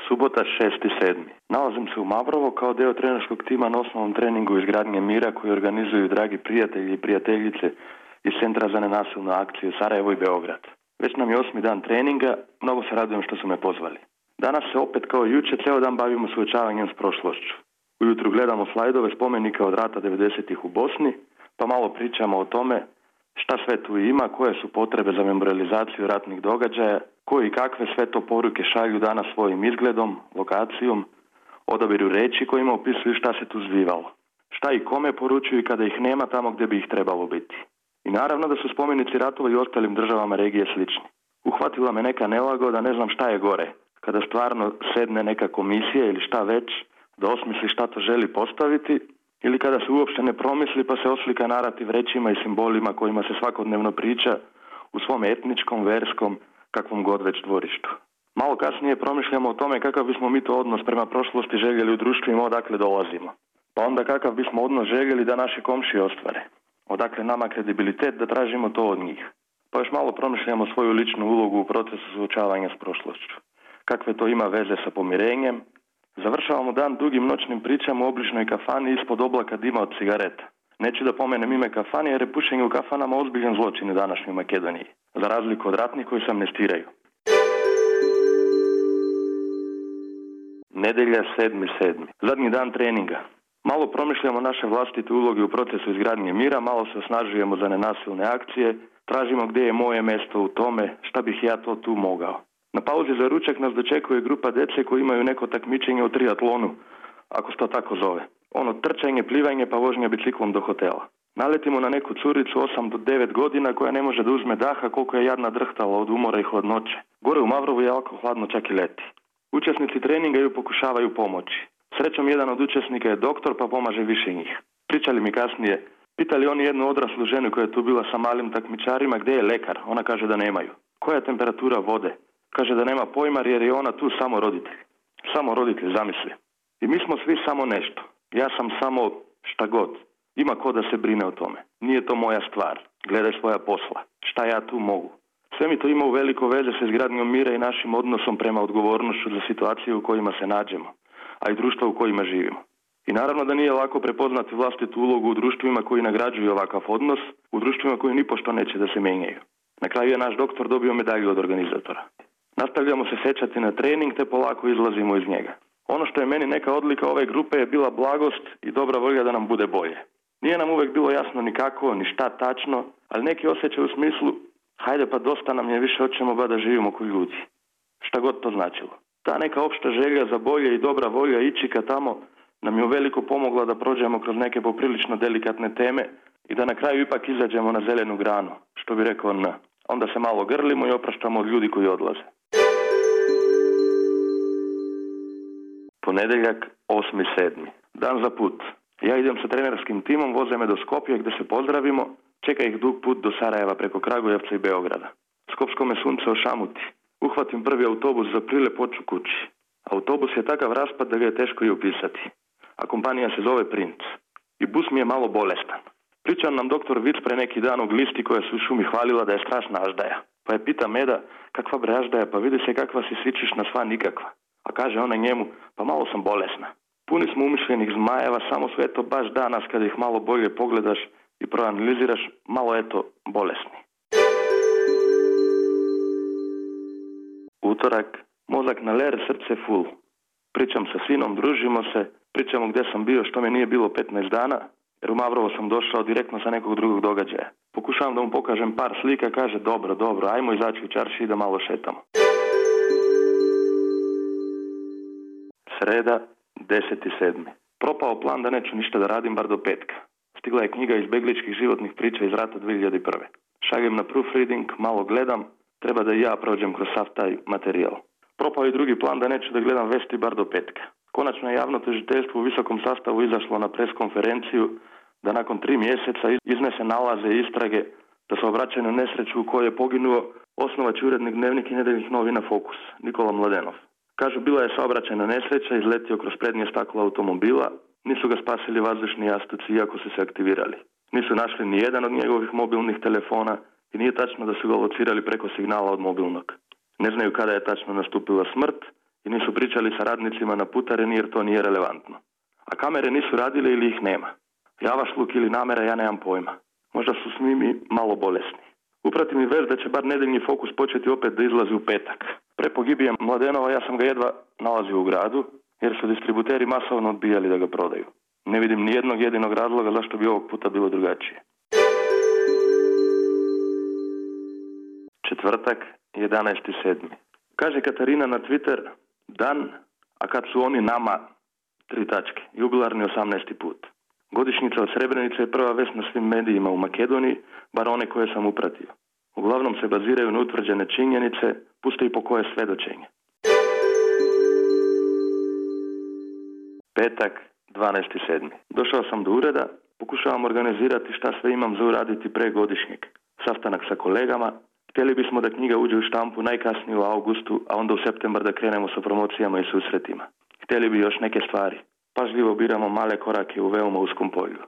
Subota 6.7. Nalazim se u Mavrovo kao dio trenerskog tima na osnovnom treningu izgradnje mira koji organizuju dragi prijatelji i prijateljice iz Centra za nenasilnu akciju Sarajevo i Beograd. Već nam je 8. dan treninga, mnogo se radujem što su me pozvali. Danas se opet kao i jučer cijel dan bavimo suočavanjem s prošlošću. Ujutro gledamo slajdove spomenika od rata 90-ih u Bosni, pa malo pričamo o tome šta sve tu ima, koje su potrebe za memorializaciju ratnih događaja, koji i kakve sve to poruke šalju danas svojim izgledom, lokacijom, odabiru reči kojima opisuju šta se tu zbivalo. Šta i kome poručuju kada ih nema tamo gdje bi ih trebalo biti. I naravno da su spomenici ratova i ostalim državama regije slični. Uhvatila me neka nelagoda, ne znam šta je gore, kada stvarno sedne neka komisija ili šta već, da osmisli šta to želi postaviti, ili kada se uopšte ne promisli pa se oslika narativ rečima i simbolima kojima se svakodnevno priča u svom etničkom, verskom, kakvom god već dvorištu. Malo kasnije promišljamo o tome kakav bismo mi to odnos prema prošlosti željeli u društvima odakle dolazimo. Pa onda kakav bismo odnos željeli da naši komšije ostvare. Odakle nama kredibilitet da tražimo to od njih. Pa još malo promišljamo svoju ličnu ulogu u procesu suočavanja s prošlošću. Kakve to ima veze sa pomirenjem. Završavamo dan dugim noćnim pričama u obližnoj kafani ispod oblaka dima od cigareta. Neću da pomenem ime kafane jer je pušenje u kafanama ozbiljan zločin u današnjoj Makedoniji. Za razliku od ratnih koji se amnestiraju. Nedelja 7.7. Zadnji dan treninga. Malo promišljamo naše vlastite uloge u procesu izgradnje mira, malo se osnažujemo za nenasilne akcije, tražimo gdje je moje mjesto u tome, šta bih ja to tu mogao. Na pauzi za ručak nas dočekuje grupa djece koji imaju neko takmičenje u triatlonu, ako se to tako zove. Ono trčanje, plivanje pa vožnja biciklom do hotela. Naletimo na neku curicu 8 do 9 godina koja ne može da uzme daha koliko je jadna drhtala od umora i hladnoće. Gore u Mavrovu je jako hladno, čak i leti. Učesnici treninga ju pokušavaju pomoći. Srećom jedan od učesnika je doktor pa pomaže više njih. Pričali mi kasnije, pitali oni jednu odraslu ženu koja je tu bila sa malim takmičarima gdje je lekar. Ona kaže da nemaju. Koja je temperatura vode? Kaže da nema pojma jer je ona tu samo roditelj. Samo roditelj, zamisli. I mi smo svi samo nešto. Ja sam samo šta god. Ima ko da se brine o tome. Nije to moja stvar. Gledaj svoja posla. Šta ja tu mogu? Sve mi to ima u veliko veze sa izgradnjom mira i našim odnosom prema odgovornošću za situaciju u kojima se nađemo, a i društva u kojima živimo. I naravno da nije lako prepoznati vlastitu ulogu u društvima koji nagrađuju ovakav odnos, u društvima koji nipošto neće da se menjaju. Na kraju je naš doktor dobio medalju od organizatora. Nastavljamo se sećati na trening te polako izlazimo iz njega. Ono što je meni neka odlika ove grupe je bila blagost i dobra volja da nam bude bolje. Nije nam uvek bilo jasno ni kako, ni šta tačno, ali neki osjećaj u smislu hajde pa dosta nam je, više hoćemo ba da živimo koji ljudi. Šta god to značilo. Ta neka opšta želja za bolje i dobra volja ići ka tamo nam je uveliko pomogla da prođemo kroz neke poprilično delikatne teme i da na kraju ipak izađemo na zelenu granu, što bi rekao N. Onda se malo grlimo i opraštamo od ljudi koji odlaze. Ponedeljak 8.7. Dan za put. Ja idem sa trenerskim timom, voze me do Skopja gdje se pozdravimo, čeka ih dug put do Sarajeva preko Kragujevca i Beograda. Skopsko me sunce ošamuti. Uhvatim prvi autobus za Prilepoču kući. Autobus je takav raspad da ga je teško i opisati. A kompanija se zove Princ. I bus mi je malo bolestan. Priča nam doktor Vic pre neki dan u glisti koja se u šumi hvalila da je strašna aždaja. Pa je pita Meda, kakva bre aždaja, pa vidi se kakva si svičiš na sva nikakva. A kaže ona njemu, pa malo sam bolesna. Puni smo umišljenih zmajeva, samo su eto baš danas kada ih malo bolje pogledaš i proanaliziraš, malo eto bolesni. Utorak, mozak na ler, srce full. Pričam sa sinom, družimo se, pričamo gdje sam bio, što me nije bilo 15 dana, jer u Mavrovo sam došao direktno sa nekog drugog događaja. Pokušavam da mu pokažem par slika, kaže dobro, ajmo izaći u čarši i da malo šetamo. Sreda, 10.7. Propao plan da neću ništa da radim bar do petka. Stigla je knjiga izbegličkih životnih priča iz rata 2001. Šaljem na proofreading, malo gledam, treba da i ja prođem kroz sav taj materijal. Propao je drugi plan da neću da gledam vesti bar do petka. Konačno je javno tužiteljstvo u visokom sastavu izašlo na preskonferenciju da nakon 3 mjeseca iznese nalaze i istrage da se obraćaju na nesreću u kojoj je poginuo osnovač urednik Dnevnik i nedeljnih novina Fokus, Nikola Mladenov. Kažu, bila je saobraćajna nesreća, izletio kroz prednje staklo automobila, nisu ga spasili vazdušni jastuci iako su se aktivirali. Nisu našli ni jedan od njegovih mobilnih telefona i nije tačno da su ga locirali preko signala od mobilnog. Ne znaju kada je tačno nastupila smrt i nisu pričali sa radnicima na putareni jer to nije relevantno. A kamere nisu radile ili ih nema. Javašluk ili namera, ja nemam pojma. Možda su s njimi malo bolesni. Uprati mi vez da će bar nedeljni Fokus početi opet da izlazi u petak. Pre pogibije Mladenova ja sam ga jedva nalazio u gradu, jer su distributeri masovno odbijali da ga prodaju. Ne vidim ni jednog jedinog razloga zašto bi ovog puta bilo drugačije. Četvrtak, 11.7. Kaže Katarina na Twitter, dan, a kad su oni nama, 3 tačke, jubilarni 18. put. Godišnjica od Srebrenice je prva vest na svim medijima u Makedoniji, bar one koje sam upratio. Uglavnom se baziraju na utvrđene činjenice, puste i po koje svedočenje. Petak, 12.7. Došao sam do ureda, pokušavam organizirati šta sve imam za uraditi pre godišnjeg. Sastanak sa kolegama, htjeli bismo da knjiga uđe u štampu najkasnije u augustu, a onda u septembar da krenemo sa promocijama i susretima. Htjeli bi još neke stvari. Pažljivo biramo male korake u veoma uskom polju.